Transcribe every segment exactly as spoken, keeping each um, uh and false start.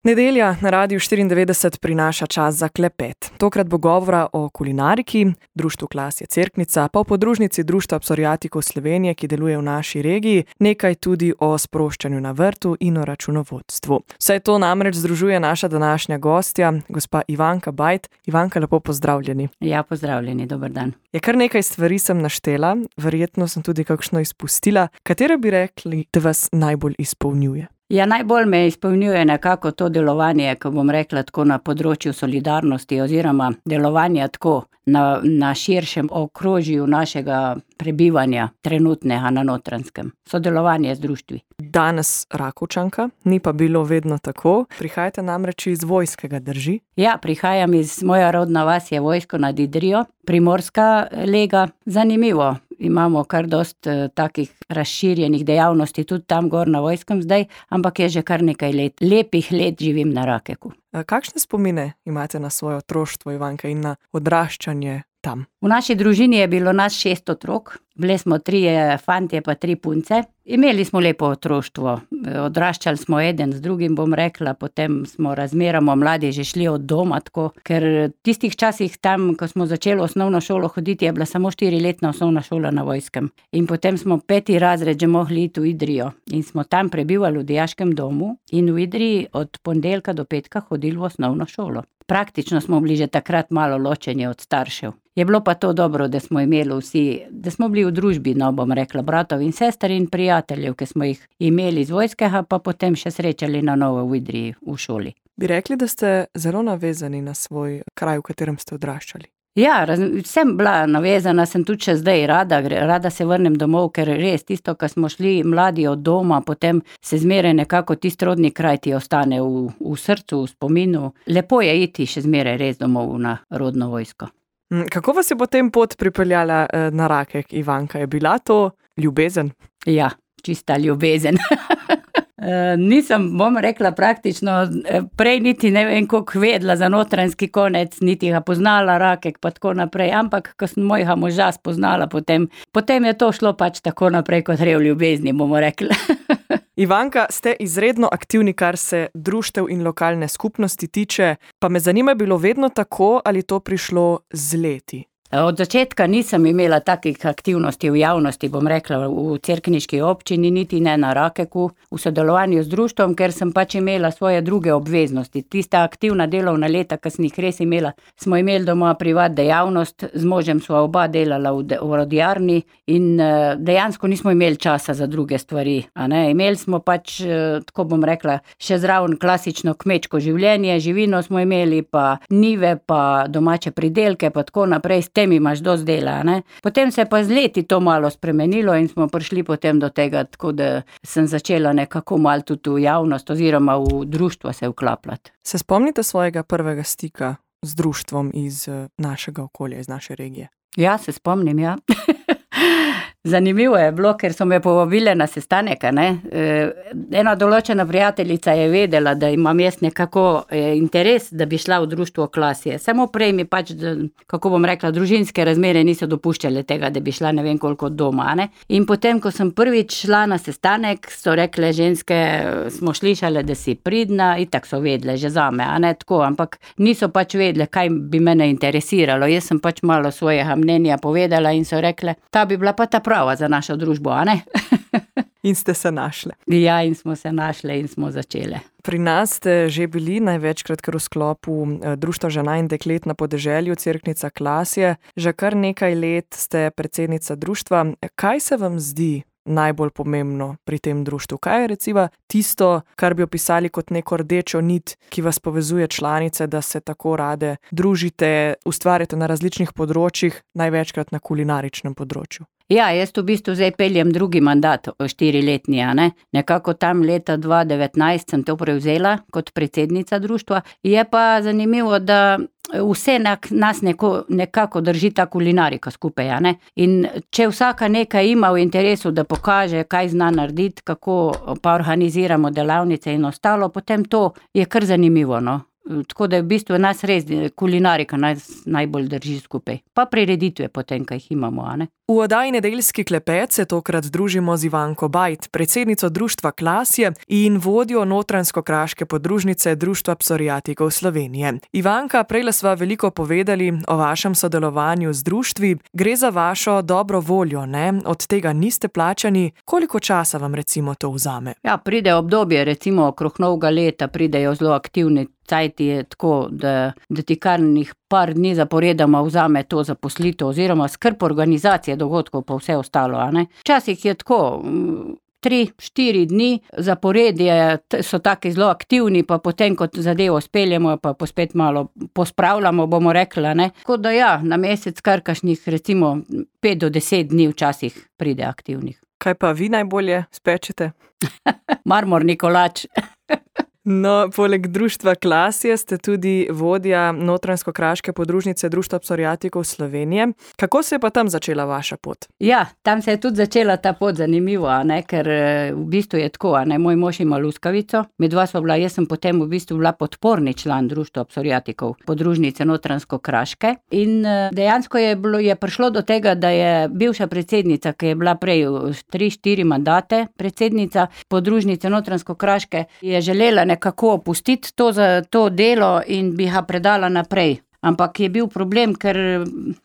Nedelja na Radiu štiriindevetdeset prinaša čas za klepet. Tokrat bo govora o kulinariki, društvu Klasje Cerknica, pa o podružnici Društva psoriatikov Slovenije, ki deluje v naši regiji, nekaj tudi o sproščanju na vrtu in o računovodstvu. Vse to namreč združuje naša današnja gostja, gospa Ivanka Bajt. Ivanka, lepo pozdravljeni. Ja, pozdravljeni, dober dan. Je kar nekaj stvari sem naštela, verjetno sem tudi kakšno izpustila. Katere bi rekli, da vas najbolj izpolnjuje? Ja, najbolj me izpolnjuje nekako to delovanje, ko bom rekla tako na področju solidarnosti oziroma delovanja tako na, na širšem okrožju našega prebivanja trenutnega na Notranjskem. Sodelovanje z društvi. Danes Rakovčanka, ni pa bilo vedno tako. Prihajate namreč iz Vojskega, drži? Ja, prihajam iz, moja rodna vas je Vojsko nad Idrijo, Primorska lega. Zanimivo, imamo kar dost uh, takih razširjenih dejavnosti tudi tam gor na Vojskem zdaj, ampak je že kar nekaj let, lepih let živim na Rakeku. Kakšne spomine imate na svoje otroštvo, Ivanka, in na odraščanje tam? V naši družini je bilo nas šest otrok, bili smo trije fantje pa tri punce. Imeli smo lepo otroštvo, odraščali smo eden z drugim, bom rekla, potem smo razmeroma mladi že šli od doma, tako, ker tistih časih tam, ko smo začeli osnovno šolo hoditi, je bila samo štiriletna osnovna šola na Vojskem. In potem smo peti razred že mogli iti v Idrijo in smo tam prebivali v dijaškem domu in v Idriji od ponedeljka do petka hodili v osnovno šolo. Praktično smo bili že takrat malo ločeni od staršev. Je bilo pa to dobro, da smo imeli vsi, da smo bili v družbi, no bom rekla, bratov in sester in prijateljev, ki smo jih imeli iz Vojskega, pa potem še srečali na novo v Idriji v šoli. Bi rekli, da ste zelo navezani na svoj kraj, v katerem ste odraščali? Ja, raz, sem bila navezana, sem tudi še zdaj rada, rada se vrnem domov, ker res tisto, ko smo šli mladi od doma, potem se zmeraj nekako tisti rodni kraj ti ostane v, v srcu, v spominu. Lepo je iti še zmeraj res domov na rodno Vojsko. Kako vas je potem pot pripeljala na Rakek, Ivanka? Je bila to ljubezen? Ja, čista ljubezen. Nisem, bom rekla, praktično prej niti ne vem, koliko vedela za notranjski konec, niti ga poznala Rakek pa tako naprej, ampak ko sem mojega moža spoznala, potem, potem je to šlo pač tako naprej kot rev ljubezni, bomo rekla. Ivanka, ste izredno aktivni, kar se društev in lokalne skupnosti tiče, pa me zanima, je bilo vedno tako ali to prišlo z leti? Od začetka nisem imela takih aktivnosti v javnosti, bom rekla, v cerkniški občini, niti ne na Rakeku, v sodelovanju z društvom, ker sem pač imela svoje druge obveznosti. Tista aktivna delovna leta, ki sem jih res imela, smo imeli doma privat dejavnost, z možem sva oba delala v, de, v rodjarni in dejansko nismo imeli časa za druge stvari. A ne? Imeli smo pač, tako bom rekla, še zraven klasično kmečko življenje, živino smo imeli, pa njive, pa domače pridelke, pa tako naprej. Tem imaš dosti dela, ne? Potem se je pa z leti to malo spremenilo in smo prišli potem do tega, tako da sem začela nekako malo tudi v javnost oziroma v društvo se vklapljati. Se spomnite svojega prvega stika z društvom iz našega okolja, iz naše regije? Ja, se spomnim, ja. Zanimivo je bilo, ker so me povabile na sestanek, ne. Ena določena prijateljica je vedela, da imam jaz nekako interes, da bi šla v društvo Klasje. Samo prej mi pač, kako bom rekla, družinske razmere niso dopuščale tega, da bi šla ne vem koliko doma, ne. In potem, ko sem prvič šla na sestanek, so rekle ženske, smo slišale, da si pridna, itak so vedle že zame, a ne tako, ampak niso pač vedle, kaj bi mene interesiralo. Jaz sem pač malo svojega mnenja povedala in so rekle, ta bi bila pa ta prava za našo družbo, a ne? In ste se našle. Ja, in smo se našle in smo začele. Pri nas ste že bili največkrat kar v sklopu Društva žena in deklet na podeželju Cerknica Klasje. Že kar nekaj let ste predsednica društva. Kaj se vam zdi najbolj pomembno pri tem društvu? Kaj je recimo tisto, kar bi opisali kot neko rdečo nit, ki vas povezuje članice, da se tako rade družite, ustvarjate na različnih področjih, največkrat na kulinaričnem področju? Ja, jaz v bistvu zdaj peljem drugi mandat, štiriletni, a ne. Nekako tam leta dva devetnajst sem to prevzela kot predsednica društva. Je pa zanimivo, da vse nas neko, nekako drži ta kulinarika skupaj, a ne. In če vsaka nekaj ima v interesu, da pokaže, kaj zna narediti, kako pa organiziramo delavnice in ostalo, potem to je kar zanimivo, no. Tako da je v bistvu nas res kulinarika nas najbolj drži skupaj. Pa prireditve potem, kaj jih imamo, a ne. V oddaji Nedeljski klepet se tokrat družimo z Ivanko Bajt, predsednico društva Klasje in vodjo notranjsko-kraške podružnice Društva psoriatikov Slovenije. Ivanka, prejle sva veliko povedali o vašem sodelovanju z društvi. Gre za vašo dobro voljo, ne? Od tega niste plačani. Koliko časa vam recimo to vzame? Ja, pride obdobje, recimo okrog novega leta pridejo zelo aktivni. Cajti je tako, da, da ti kar njih par dni zaporedoma vzame to zaposlitev oziroma skrb organizacije dogodkov pa vse ostalo. A ne? Včasih je tako, tri, štiri dni zaporedje so taki zelo aktivni, pa potem, ko zadevo speljemo, pa spet malo pospravljamo, bomo rekli. Ne? Tako da ja, na mesec kar kakšnih recimo pet do deset dni včasih pride aktivnih. Kaj pa vi najbolje spečete? Marmorni kolač. No, poleg društva Klasje ste tudi vodja notranjsko-kraške podružnice Društva psoriatikov Slovenije. Kako se je pa tam začela vaša pot? Ja, tam se je tudi začela ta pot, zanimivo, a ne, ker v bistvu je tako, a ne, moj mož ima luskavico, medva sva bila, jaz sem potem v bistvu bila podporni član Društva psoriatikov podružnice notranjsko-kraške in dejansko je bilo, je prišlo do tega, da je bivša predsednica, ki je bila prej tri, štiri mandate predsednica podružnice notranjsko-kraške, je želela nekako opustiti to za to delo in bi ga predala naprej. Ampak je bil problem, ker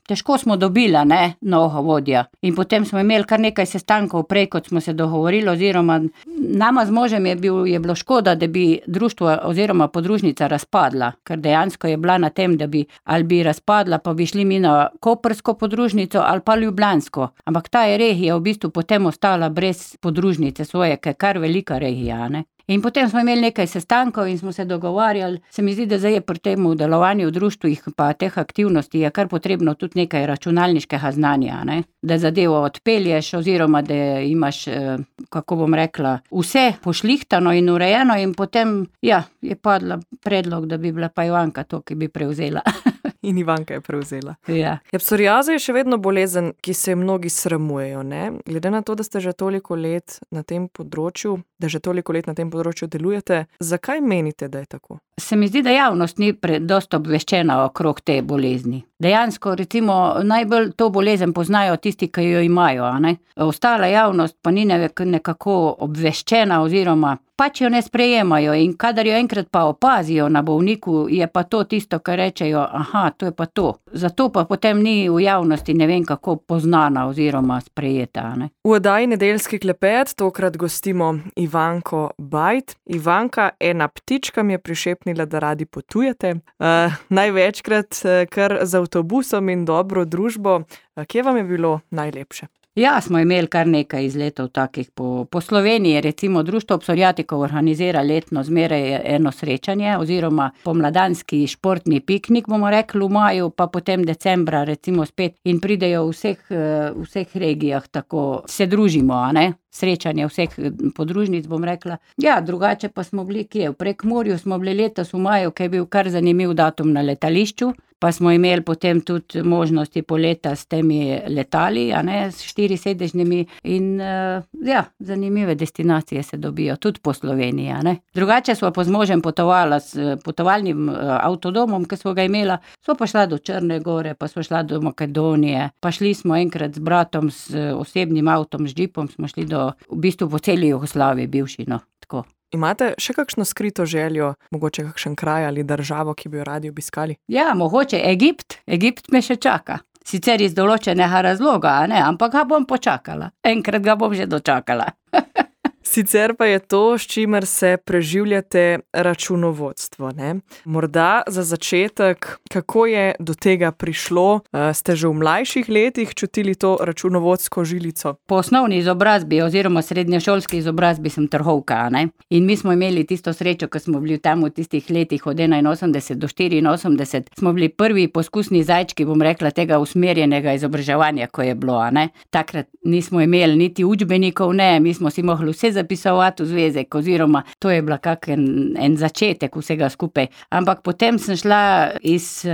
težko smo dobila, ne, novega vodja. In potem smo imeli kar nekaj sestankov prej, kot smo se dogovorili, oziroma nama z možem je, bil, je bilo škoda, da bi društvo oziroma podružnica razpadla, ker dejansko je bila na tem, da bi ali bi razpadla, pa bi šli mi na koprsko podružnico ali pa ljubljansko. Ampak ta je regija v bistvu potem ostala brez podružnice svoje, ker je kar velika regija, ne. In potem smo imeli nekaj sestankov in smo se dogovarjali. Se mi zdi, da zdaj je pri tem delovanju v društvih pa teh aktivnosti je kar potrebno tudi nekaj računalniškega znanja, ne? Da zadevo odpelješ oziroma da imaš, kako bom rekla, vse pošlihtano in urejeno in potem, ja, je padla predlog, da bi bila pa Ivanka to, ki bi prevzela. In Ivanka je prevzela. Ja. Ja, psoriaza je še vedno bolezen, ki se mnogi sramujejo, ne? Glede na to, da ste že toliko let na tem področju, da že toliko let na tem področju delujete, zakaj menite, da je tako? Se mi zdi, da javnost ni dosti obveščena okrog te bolezni. Dejansko, recimo, najbolj to bolezen poznajo tisti, ki jo imajo, a ne? Ostala javnost pa ni nekako obveščena oziroma pač jo ne sprejemajo in kadar jo enkrat pa opazijo na bolniku, je pa to tisto, kar rečejo, aha, to je pa to. Zato pa potem ni v javnosti ne vem kako poznana oziroma sprejeta, a ne? V oddaji Nedeljski klepet tokrat gostimo Ivanko Bajt. Ivanka, ena ptička mi je prišepnila, da radi potujete. Uh, največkrat kar z avtobusom in dobro družbo. Kje vam je bilo najlepše? Ja, smo imeli kar nekaj izletov takih po, po Sloveniji, recimo Društvo psoriatikov organizira letno zmeraj eno srečanje oziroma pomladanski športni piknik, bomo rekli v maju, pa potem decembra recimo spet in pridejo v vseh, v vseh regijah, tako se družimo, a ne? Srečanje vseh podružnic, bom rekla. Ja, drugače pa smo bili kje, v Prekmurju smo bili letos v maju, ki je bil kar zanimiv datum na letališču, pa smo imeli potem tudi možnosti poleta s temi letali, a ne, s štirisedežnimi in ja, zanimive destinacije se dobijo tudi po Sloveniji, a ne. Drugače smo pa z možem potovala s potovalnim avtodomom, ki smo ga imela, smo pa šla do Črne gore, pa smo šla do Makedonije, pa šli smo enkrat z bratom s osebnim avtom, z džipom, smo šli do, v bistvu po celi Jugoslaviji bivši, no, tako. Imate še kakšno skrito željo, mogoče kakšen kraj ali državo, ki bi jo radi obiskali? Ja, mogoče Egipt. Egipt me še čaka. Sicer iz določenega razloga, a ne, ampak ga bom počakala. Enkrat ga bom že dočakala. Sicer pa je to, s čimer se preživljate, računovodstvo, ne? Morda za začetek, kako je do tega prišlo? Ste že v mlajših letih čutili to računovodsko žilico? Po osnovni izobrazbi oziroma srednješolski izobrazbi sem trgovka, ne? In mi smo imeli tisto srečo, ko smo bili tam v tistih letih od enainosemdeset do štiriinosemdeset, smo bili prvi poskusni zajčki, bom rekla, tega usmerjenega izobraževanja, ko je bilo, a ne? Takrat nismo imeli niti učbenikov, ne, mi smo si mogli vse zapisovati v zvezek, oziroma to je bila kak en, en začetek vsega skupaj. Ampak potem sem šla iz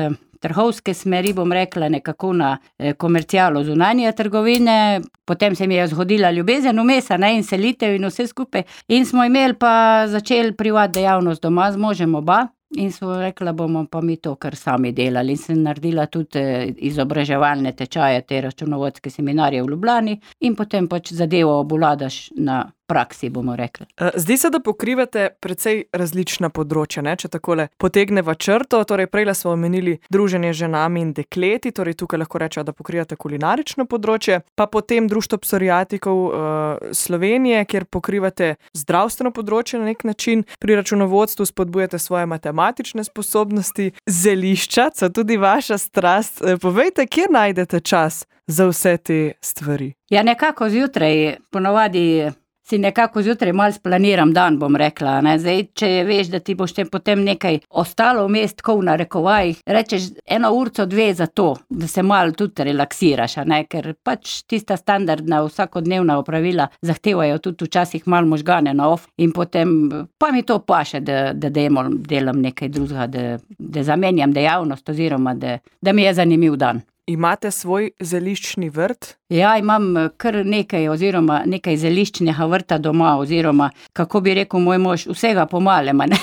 trgovske smeri, bom rekla, nekako na komercialo zunanje trgovine, potem se mi je zgodila ljubezen vmes, ne, in selitev in vse skupaj. In smo imeli pa začeli privat dejavnost doma z možem oba. in so rekla, bomo pa mi to kar sami delali. In sem naredila tudi izobraževalne tečaje, te računovodske seminarje v Ljubljani in potem pač zadevo obvladaš na praksi, bomo rekli. Zdi se, da pokrivate precej različna področja, ne? Če takole potegneva črto, torej prejle smo omenili druženje z ženami in dekleti, torej tukaj lahko rečejo, da pokrivate kulinarično področje, pa potem Društvo psoriatikov uh, Slovenije, kjer pokrivate zdravstveno področje na nek način, pri računovodstvu spodbujate svoje matematične sposobnosti, zelišča, so tudi vaša strast. Povejte, kje najdete čas za vse te stvari? Ja, nekako zjutraj, ponovadi si nekako zjutraj malo splaniram dan, bom rekla, ne. Zdaj, če veš, da ti boš potem nekaj ostalo vmes, tako v narekovajih, rečeš eno urco, dve za to, da se malo tudi relaksiraš, a ne, ker pač tista standardna vsakodnevna opravila zahtevajo tudi včasih malo možgane na off in potem pa mi to paše, da, da demo, delam nekaj drugega, da, da zamenjam dejavnost oziroma da, da mi je zanimiv dan. Imate svoj zeliščni vrt? Ja, imam kar nekaj oziroma nekaj zeliščnega vrta doma oziroma, kako bi rekel moj mož, vsega po malem, a ne.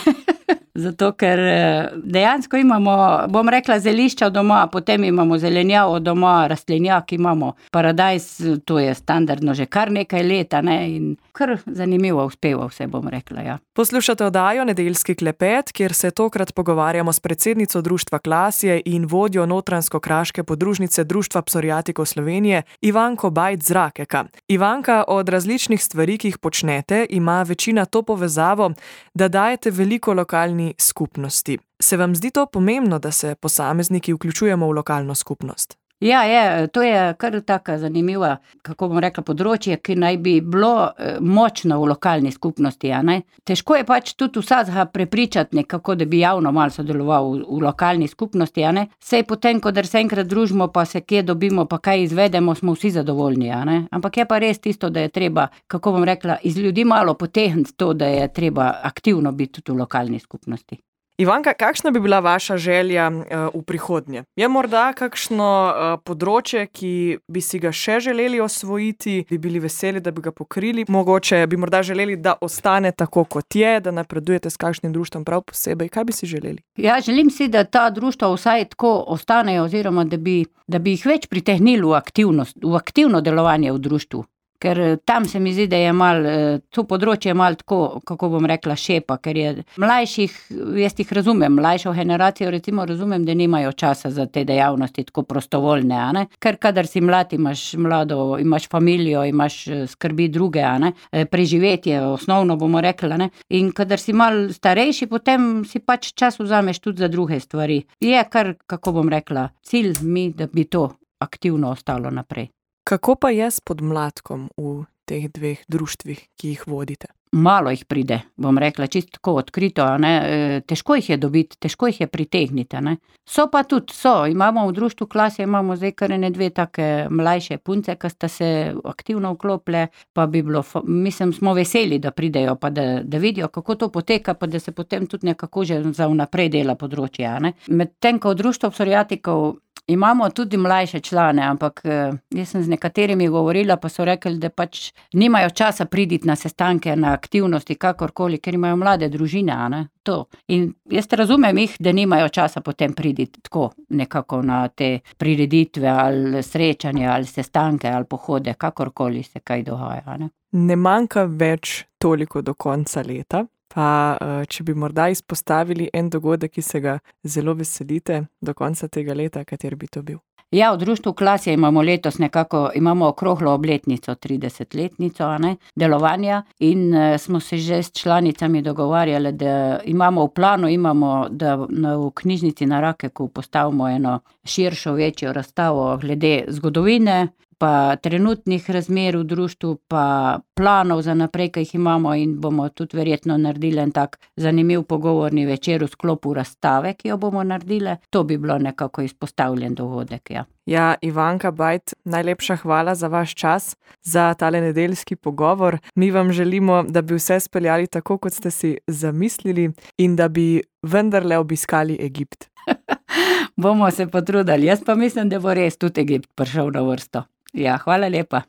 Zato, ker dejansko imamo, bom rekla, zelišča doma, potem imamo zelenjavo doma, rastlinjak imamo, paradajz, to je standardno že kar nekaj leta, ne, in kar zanimivo uspeva vse, bom rekla, ja. Poslušate oddajo Nedeljski klepet, kjer se tokrat pogovarjamo s predsednico Društva Klasje in vodjo notranjsko-kraške podružnice Društva psoriatikov Slovenije, Ivanko Bajc-Zrakeka. Ivanka, od različnih stvari, ki jih počnete, ima večina to povezavo, da dajete veliko lokalni skupnosti. Se vam zdi to pomembno, da se posamezniki vključujemo v lokalno skupnost? Ja, je, to je kar taka zanimiva, kako bom rekla, področje, ki naj bi bilo močno v lokalni skupnosti, a ne. Težko je pač tudi vsakega prepričati nekako, da bi javno malo sodeloval v, v lokalni skupnosti, a ne. Sej potem, ko se enkrat družimo, pa se kje dobimo, pa kaj izvedemo, smo vsi zadovoljni, a ne. Ampak je pa res tisto, da je treba, kako bom rekla, iz ljudi malo potegniti to, da je treba aktivno biti tudi v lokalni skupnosti. Ivanka, kakšna bi bila vaša želja uh, v prihodnje? Je morda kakšno uh, področje, ki bi si ga še želeli osvojiti, bi bili veseli, da bi ga pokrili? Mogoče bi morda želeli, da ostane tako, kot je, da napredujete s kakšnim društvom prav posebej. Kaj bi si želeli? Ja, želim si, da ta društva vsaj tako ostanejo oziroma, da bi, da bi jih več pritehnili v aktivnost, v aktivno delovanje v društvu. Ker tam se mi zdi, da je malo, to področje je malo tako, kako bom rekla, šepa, ker je mlajših, jaz jih razumem, mlajšo generacijo recimo razumem, da nimajo časa za te dejavnosti tako prostovoljne, a ne, ker kadar si mlad, imaš mlado, imaš familijo, imaš skrbi druge, a ne, preživetje, osnovno bomo rekla, ne, in kadar si malo starejši, potem si pač čas vzameš tudi za druge stvari. Je kar, kako bom rekla, cilj mi, da bi to aktivno ostalo naprej. Kako pa je s podmladkom v teh dveh društvih, ki jih vodite? Malo jih pride, bom rekla, čisto tako odkrito, a ne, težko jih je dobiti, težko jih je pritegniti, a ne. So pa tudi, so, imamo v Društvu Klasje, imamo zdaj kar ene dve take mlajše punce, ki sta se aktivno vklopile, pa bi bilo, mislim, smo veseli, da pridejo, pa da, da vidijo, kako to poteka, pa da se potem tudi nekako že za vnaprej dela področje, a ne. Medtem ko v Društvu psoriatikov imamo tudi mlajše člane, ampak jaz sem z nekaterimi govorila, pa so rekli, da pač nimajo časa priditi na sestanke, na aktivnosti, kakorkoli, ker imajo mlade družine, a ne, to. In jaz razumem jih, da nimajo časa potem priditi tako nekako na te prireditve ali srečanja ali sestanke ali pohode, kakorkoli se kaj dogaja, a ne. Ne manjka več toliko do konca leta. Pa če bi morda izpostavili en dogodek, ki se ga zelo veselite do konca tega leta, kater bi to bil? Ja, v Društvu Klasje imamo letos nekako, imamo okroglo obletnico, tridesetletnico, a ne, delovanja in smo se že s članicami dogovarjali, da imamo v planu, imamo, da v knjižnici na Rakeku postavimo eno širšo, večjo razstavo glede zgodovine, pa trenutnih razmer v društvu, pa planov za naprej, ki jih imamo in bomo tudi verjetno naredili en tak zanimiv pogovorni večer v sklopu razstave, ki jo bomo naredili. To bi bilo nekako izpostavljen dogodek, ja. Ja, Ivanka Bajc, najlepša hvala za vaš čas, za tale nedeljski pogovor. Mi vam želimo, da bi vse speljali tako, kot ste si zamislili in da bi vendarle obiskali Egipt. Bomo se potrudili, jaz pa mislim, da bo res tudi Egipt prišel na vrsto. Ja, hvala lepa.